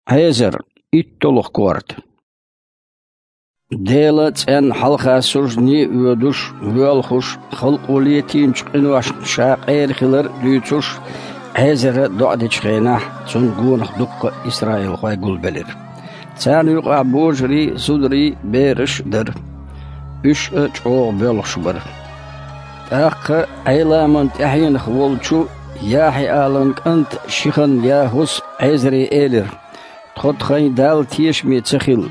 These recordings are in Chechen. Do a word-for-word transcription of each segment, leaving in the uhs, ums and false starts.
Ӏезар, итталгӀа корта. Дела цӀенна хьалха суждане а воьдуш, воьлхуш, халкъо летийначу къиношна ша къера хилар а дуьйцуш, Ӏезара доӀа дечу хенахь, цунна гонах дуккха а исраилхой гулбелира. Царна юкъахь божарий, зударий, бераш а дара. Уьш а чӀогӀа боьлхуш бара. ТӀаккха Ӏеламан тӀаьхьенах волчу ЯхьиӀалан кӀанта Шихан-ЯхӀус Ӏезаре элира: «Тхо тхайн Далла тешаме ца хилла,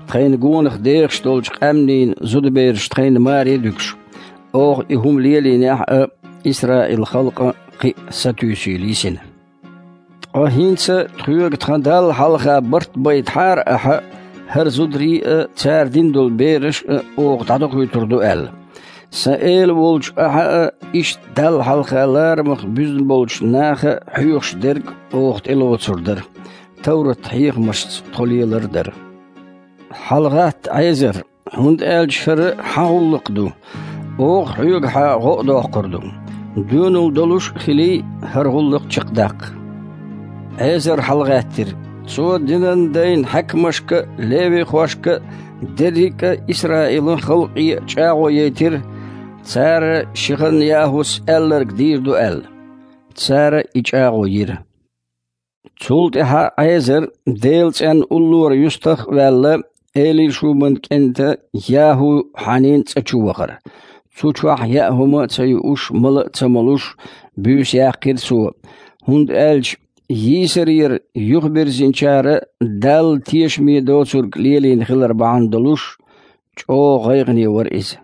тхайна гонах дехаш долчу къаьмнийн зудабераш тхайна маре а дуьгуш, оха и хӀума лелийнехь а, Исраил-халкъан кхин а сатуьйсийла йисина. Ткъа хӀинца тхоьга тхан Далла хьалха барт байтахьара ахьа, хӀара зударий а, цара дина долу бераш а оха дӀадохуьйтур ду аьлла. Сан эла волчу ахьа а, иштта Далла хьалха ларамах буьзна болчу наха а хьоьхуш дерг оха тӀелоцур дара, товрат-хьехамашца тхо лелар а дара». ХьалагӀатта, Ӏезар, хӀунда аьлча хӀара хьан гӀуллакх ду, оха хьоьгахьа гӀо а доккхур ду. Доьналла долуш а хилий, хӀара гӀуллакх чекхдаккха. Ӏезар хьалагӀаьттира. Цо динан дайн хьаькамашка а, левихошка а, дерриг а Исраилан халкъе а чӀагӀо яйтира, цара Шихан-ЯхӀус аьлларг дийр ду аьлла. Цара и чӀагӀо йира. Цул тӀаьхьа Ӏезар, Делан цӀенна уллора юьстах а ваьлла, Элишубан кӀентан ЯхӀу-Хьанин цӀа чу вахара. Цу чохь яа хӀума а ца юуш, мала а ца молуш, буьйса яьккхира цо, хӀунда аьлча йийсарера юхабирзинчара Далла тешаме доцург лелийна хилар бахьана долуш, чӀогӀа гӀайгӀане вара иза.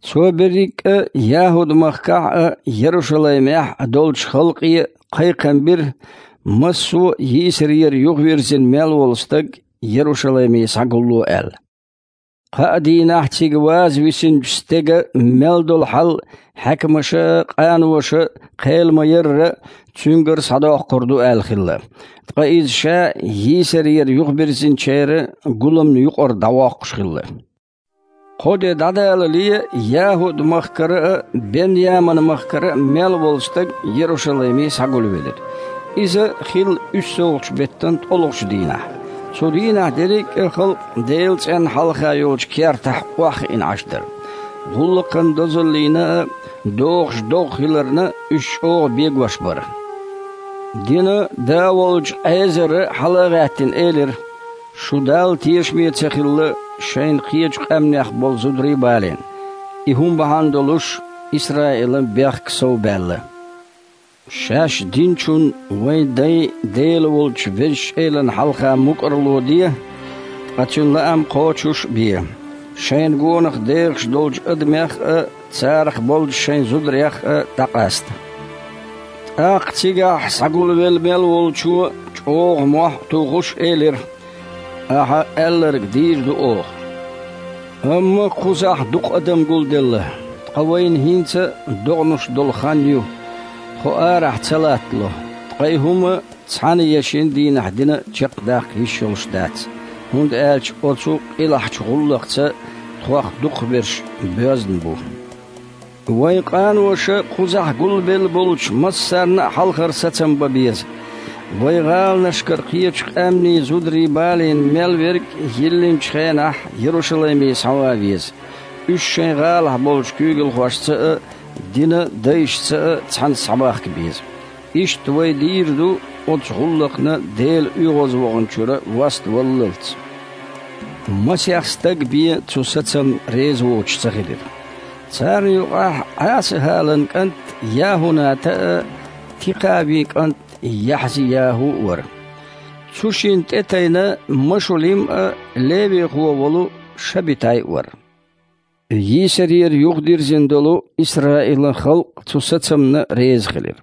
Цо берриг а ЯхӀуд-махкахь а, Ярушалаймехь а долчу халкъе а кхайкхам бира, массо а йийсарера юхавирзина мел волу стаг Ярушалайме схьагулло аьлла. Кхаа дийнахь цига ваза висинчу стеган мел долу хьал хьаькамаша а, къаноша а кхел ма-ярра, цуьнгара схьадоккхур ду аьлла хилла. Ткъа иза ша йийсарера юхабирзинчеран гуламна юкъара дӀавоккхуш хилла. Кхо де дӀадалале, ЯхӀуд-махкара а, Бен-Яман-махкара а мел волу стаг Ярушалайме схьагулвелира. Иза хилла уьссалгӀачу беттан ткъолгӀачу дийнахь. Цу дийнахь дерриг а халкъ Делан цӀенна хьалха йолчу кертахь охьахиъна Ӏаш дара. ГӀуллакхан дозаллина а, догӀуш догӀа хиларна а уьш чӀогӀа бегош бара. Динан да волчу Ӏезара хьала а гӀаьттина элира: «Шу Далла тешаме ца хилла, шайна кхечу къаьмнех болу зударий балийна. И хӀума бахьана долуш Исраилан бехк сов баьлла. Шаьш динчун вайн дайн Дела волчу Везачу Элана хьалха мукӀарло де, ткъа Цуьнан лаам кхочуш а бе. Шайна гонах дехаш долчу адамех а, царах болчу шайн зударех а дӀакъаста». ТӀаккха цигахь схьагулвелла мел волчо чӀогӀа мохь а тухуш элира: «Ахьа аьлларг дийр ду оха. Амма кхузахь дукха адам гулделла, ткъа вайна хӀинца догӀанаш долу хан ю, тхо арахь ца латтало, ткъа и хӀума цхьана я шина дийнахь дина чекхдаккха йиш йолуш дац, хӀунда аьлча оцу къилахьчу гӀуллакхца тхох дукхахберш боьзна бу. Вайн къаноша кхузахь гулбелла болчу массарна а хьалхара сацам бан беза. Вайн гӀаланашкара кхечу къаьмнийн зударий балийна мел верг йиллинчу хенахь Ярушалайме схьаван веза. Уьш шайн гӀалахь болчу куьйгалхошца а, динан дайшца а цхьаьна схьабахка беза. Иштта вай дийр ду оцу гӀуллакхна Дела оьгӀазваханчуьра васт валлалц». Масех стаг бен цу сацамна реза воцуш ца хилира. Царна юкъахь Ӏаса-ХӀалан кӀант ЯхӀуната а, Тикхавин кӀант Яхьзи-ЯхӀу а вара. Цу шинна тӀе тайна Машулим а, левихо волу Шабитай а вара. Йийсарера юхадирзина долу Исраилан халкъ цу сацамна реза хилира.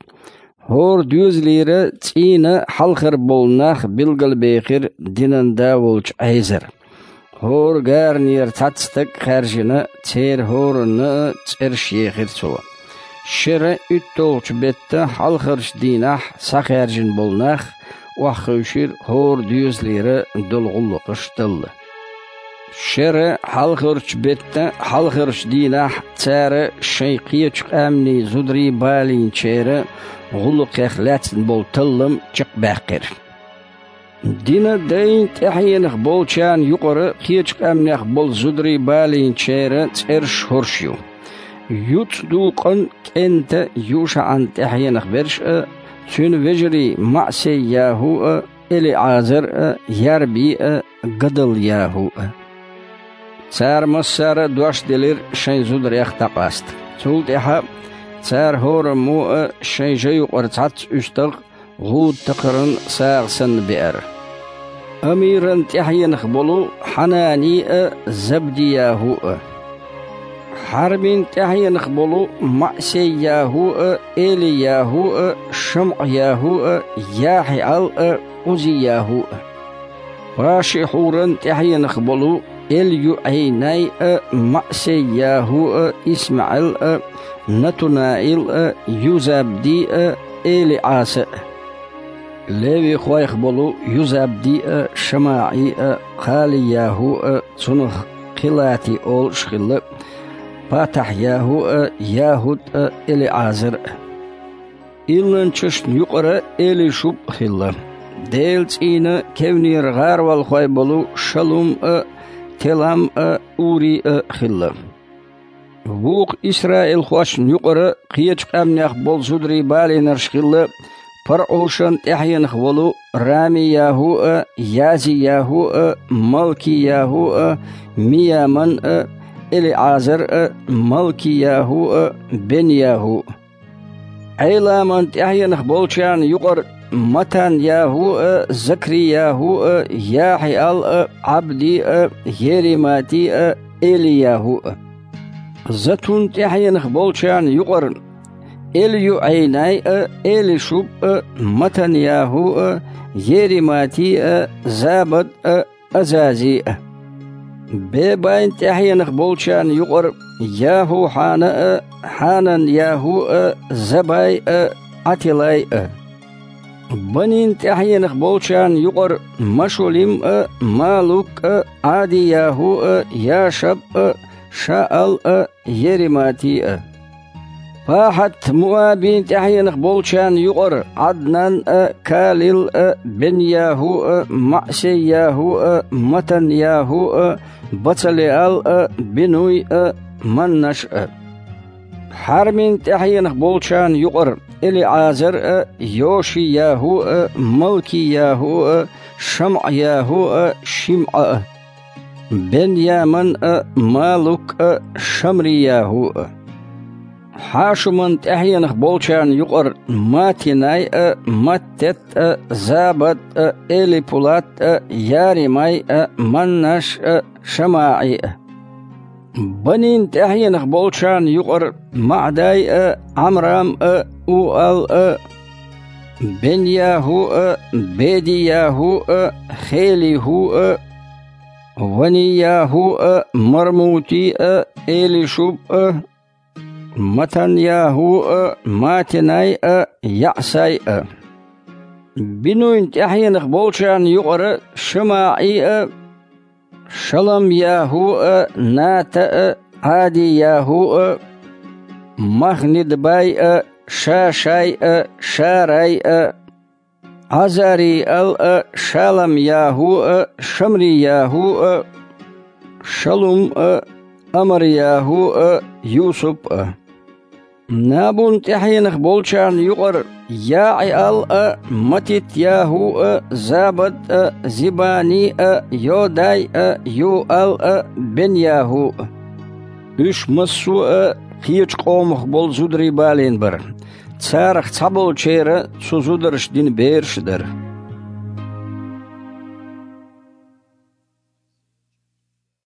ХӀора доьзалера цӀийнан хьалхара болу нах билгалбехира динан да волчу Ӏезара. ХӀора гаранера цхьацца стаг а хаьржина, церан хӀоранна а цӀераш ехира цо. Шеран уьтталгӀачу беттан хьалхарчу дийнахь схьахаьржина болу нах охьахевшира хӀора доьзалера долу гӀуллакхаш талла. Шеран хьалхарчу беттан хьалхарчу дийнахь цара шайн кхечу къаьмнийн зударий балийначеран гӀуллакхех лаьцна болу таллам чекхбаьккхира. Дина дайн тӀаьхьенах болчарна юкъара кхечу къаьмнех болу зударий балийначеран цӀераш хӀорш ю. ЮцӀа дукъан кӀента ЮшаӀан тӀаьхьенах берш а, цуьнан вежарий МаӀсей-ЯхӀу а, ЭлиӀазар а, Ярби а, Гадал-ЯхӀу а. Цара массара а дош делира шайн зударех дӀакъаста. Цул тӀаьхьа цара хӀораммо а шайн жа юкъара цхьацца уьстагӀ гӀуда такхаран сагӀа санна беара. Амиран тӀаьхьенах болу Хьанани а, Забди-ЯхӀу а. Хьармин тӀаьхьенах болу МаӀсей-ЯхӀу а, Эли-ЯхӀу а, ШамӀа-ЯхӀу а, ЯхьиӀал а, Ӏузи-ЯхӀу а. Пашихьуран тӀаьхьенах болу Эль-ЮӀайнай а, МаӀсей-ЯхӀу а, ИсмаӀил а, Натунаил а, Юзабди а, ЭлиӀаса а. Левихойх болу Юзабди а, ШамаӀи а, Кхали-ЯхӀу а, цунах Кхилати олуш хилла, Патахь-ЯхӀу а, ЯхӀуд а, ЭлиӀазар а. Илланчашна юкъара Элишуб а хилла. Делан цӀийнан кевнера гӀаролхой болу Шалум а, Телам а, Ури а хилла. Вукху исраилхошна юкъара кхечу къаьмнех болу зударий балийнарш хилла: ПарӀушан тӀаьхьенах волу Рами-ЯхӀу а, Язи-ЯхӀу а, Малки-ЯхӀу а, Мияман а, ЭлиӀазар а, Малки-ЯхӀу а, Бен-ЯхӀу а. Ӏеламан тӀаьхьенах болчарна юкъара Матан-ЯхӀу а, Закри-ЯхӀу а, ЯхьиӀал а, Ӏабди а, Еремати а, Эли-ЯхӀу а. Затун тӀаьхьенах болчарна юкъара Эль-ЮӀайнай а, Элишуб а, Матан-ЯхӀу а, Еремати а, Забад а, Азази а. Бебайн тӀаьхьенах болчарна юкъара ЯхӀу-Хьана а, Хьанан-ЯхӀу а, Забай а, Ӏатилай а. Банин тӀаьхьенах болчарна юкъара Машулим а, Малук а, Ӏади-ЯхӀу а, Яшаб а, Шаал а, Еремати а. ПахьатМуабин тӀаьхьенах болчарна юкъара Ӏаднан а, Калил а, Бен-ЯхӀу а, МаӀсей-ЯхӀу а, Матан-ЯхӀу а, Бацалеал а, Бинуй а, Маннаш а. Хьармин тӀаьхьенах болчарна юкъара ЭлиӀазар а, Йоши-ЯхӀу а, Малки-ЯхӀу а, ШамӀа-ЯхӀу а, ШимӀа а. Бен-Яман а, Малук а, Шамри-ЯхӀу а. Хьашуман тӀаьхьенах болчарна юкъара Матинай а, Маттет а, Забад а, Элипулат а, Яримай а, Маннаш а, ШамаӀи а. Банин тӀаьхьенах болчарна юкъара МаӀдай а, Ӏамрам а, Уал а, Бен-ЯхӀу а, Беди-ЯхӀу а, Хели-ХӀу а, Вани-ЯхӀу а, Мармути а, Элишуб а, Матан-ЯхӀу а, Матинай а, ЯӀсай а. Бинуйн тӀаьхьенах болчарна юкъара ШамаӀи а, Шалам-ЯхӀу а, Ната а, Ӏади-ЯхӀу а, Махнидбай а, Шашай а, Шарай а, Ӏазариал а, Шалам-ЯхӀу а, Шамри-ЯхӀу а, Шалум а, Амар-ЯхӀу а, Юсуп а. Набун тӀаьхьенах болчарна юкъара ЯӀиал а, Матит-ЯхӀу а, Забад а, Зибани а, Йодай а, Юал а, Бен-ЯхӀу а. Уьш массо а кхечу къомах болу зударий балийна бара. Царах цхьаболчеран цу зударша дина бераш а дара.